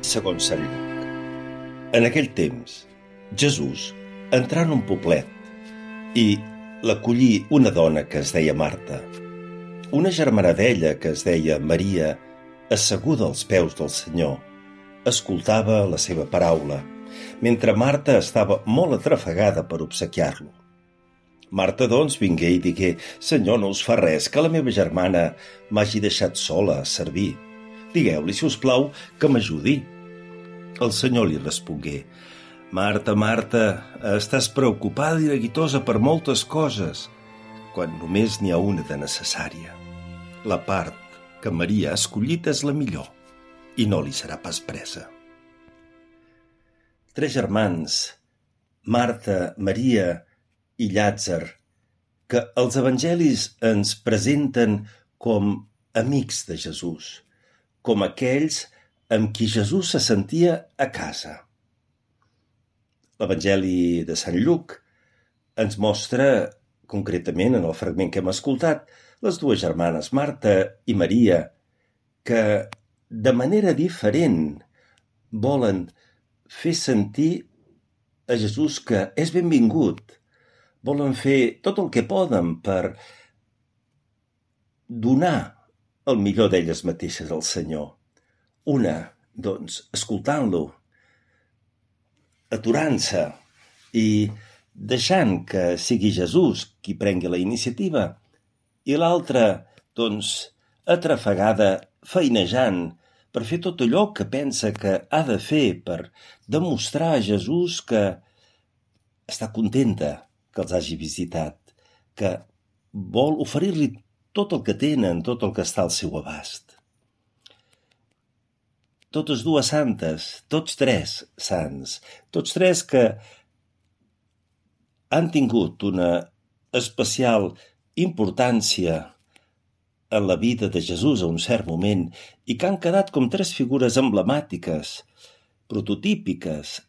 segons Sant Lluc. En aquell temps, Jesús entrà en un poblet i l'acollí una dona que es deia Marta. Una germana d'ella, que es deia Maria, asseguda als peus del Senyor, escoltava la seva paraula, mentre Marta estava molt atrafegada per obsequiar-lo. Marta, doncs, vingué i digué: «Senyor, no us fa res que la meva germana m'hagi deixat sola a servir. Digueu-li, si us plau, que m'ajudi». El Senyor li respongué: «Marta, Marta, estàs preocupada i neguitosa per moltes coses, quan només n'hi ha una de necessària. La part que Maria ha escollit és la millor, i no li serà pas presa». Tres germans, Marta, Maria i Llàtzer, que els evangelis ens presenten com amics de Jesús, com aquells amb qui Jesús se sentia a casa. L'Evangeli de Sant Lluc ens mostra, concretament en el fragment que hem escoltat, les dues germanes, Marta i Maria, que de manera diferent volen fer sentir a Jesús que és benvingut. Volen fer tot el que poden per donar el millor d'elles mateixes al Senyor. Una, doncs, escoltant-lo, aturant-se i deixant que sigui Jesús qui prengui la iniciativa, i l'altra, doncs, atrafegada, feinejant per fer tot allò que pensa que ha de fer per demostrar a Jesús que està contenta que els hagi visitat, que vol oferir-li tot el que tenen, tot el que està al seu abast. Totes dues santes, tots tres sants, tots tres que han tingut una especial importància en la vida de Jesús a un cert moment i que han quedat com tres figures emblemàtiques, prototípiques,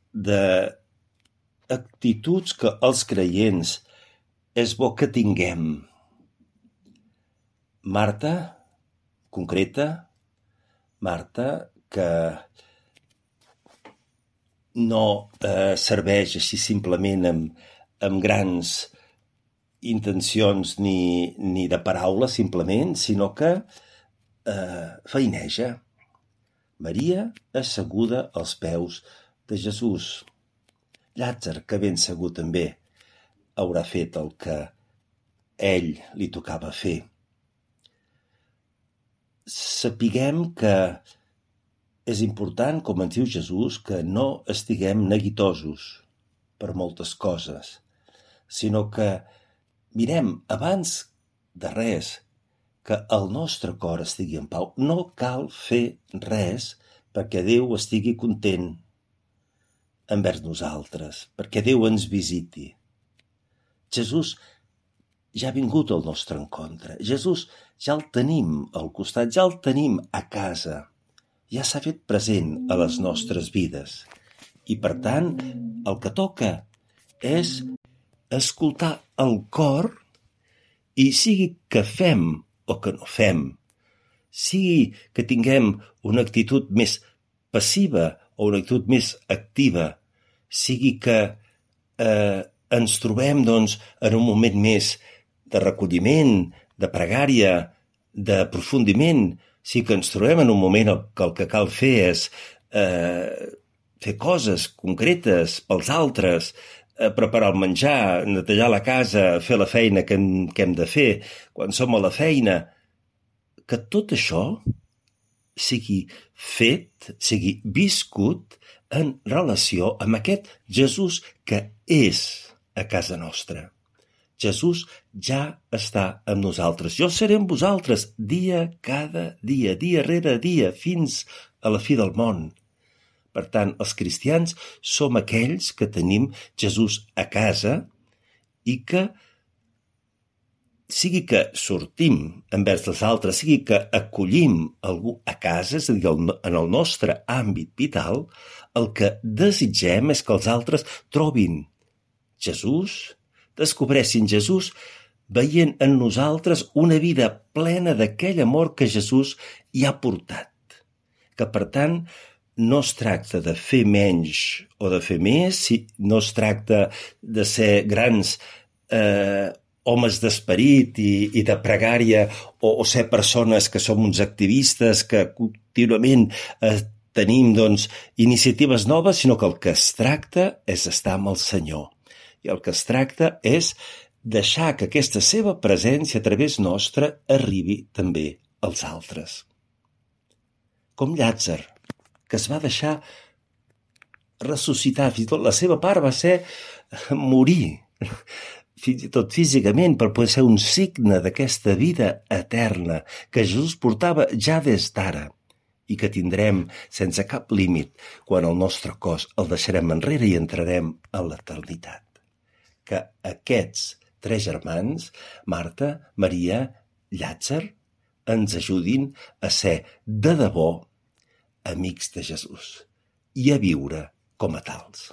d'actituds que els creients és bo que tinguem. Marta, concreta, Marta, que no serveix així simplement amb grans intencions ni de paraula simplement, sinó que feineja. Maria asseguda als peus de Jesús. Llàtzer, que ben segur també haurà fet el que ell li tocava fer. Sapiguem que és important, com ens diu Jesús, que no estiguem neguitosos per moltes coses, sinó que mirem abans de res que el nostre cor estigui en pau. No cal fer res perquè Déu estigui content envers nosaltres, perquè Déu ens visiti. Jesús ja ha vingut al nostre encontre. Jesús ja el tenim al costat, ja el tenim a casa. Ja s'ha fet present a les nostres vides. I, per tant, el que toca és escoltar el cor i sigui que fem o que no fem, sigui que tinguem una actitud més passiva o una actitud més activa, sigui que ens trobem doncs, en un moment més de recolliment, de pregària, d'aprofundiment, sí que ens trobem en un moment que el que cal fer és fer coses concretes pels altres, preparar el menjar, netejar la casa, fer la feina que hem de fer quan som a la feina, que tot això sigui fet, sigui viscut en relació amb aquest Jesús que és a casa nostra. Jesús ja està amb nosaltres. Jo seré amb vosaltres cada dia, dia rere dia, fins a la fi del món. Per tant, els cristians som aquells que tenim Jesús a casa i que, sigui que sortim envers els altres, sigui que acollim algú a casa, és a dir, en el nostre àmbit vital, el que desitgem és que els altres trobin Jesús, descobressin Jesús veient en nosaltres una vida plena d'aquell amor que Jesús hi ha portat. Que, per tant, no es tracta de fer menys o de fer més, no es tracta de ser grans homes d'esperit i de pregària o ser persones que som uns activistes que contínuament tenim iniciatives noves, sinó que el que es tracta és estar amb el Senyor. I el que es tracta és deixar que aquesta seva presència a través nostra arribi també als altres. Com Llàtzer, que es va deixar ressuscitar, fins i tot la seva part va ser morir, fins i tot físicament, per poder ser un signe d'aquesta vida eterna que Jesús portava ja des d'ara i que tindrem sense cap límit quan el nostre cos el deixarem enrere i entrarem en l'eternitat. Que aquests 3 germans, Marta, Maria, Llàtzer, ens ajudin a ser de debò amics de Jesús i a viure com a tals.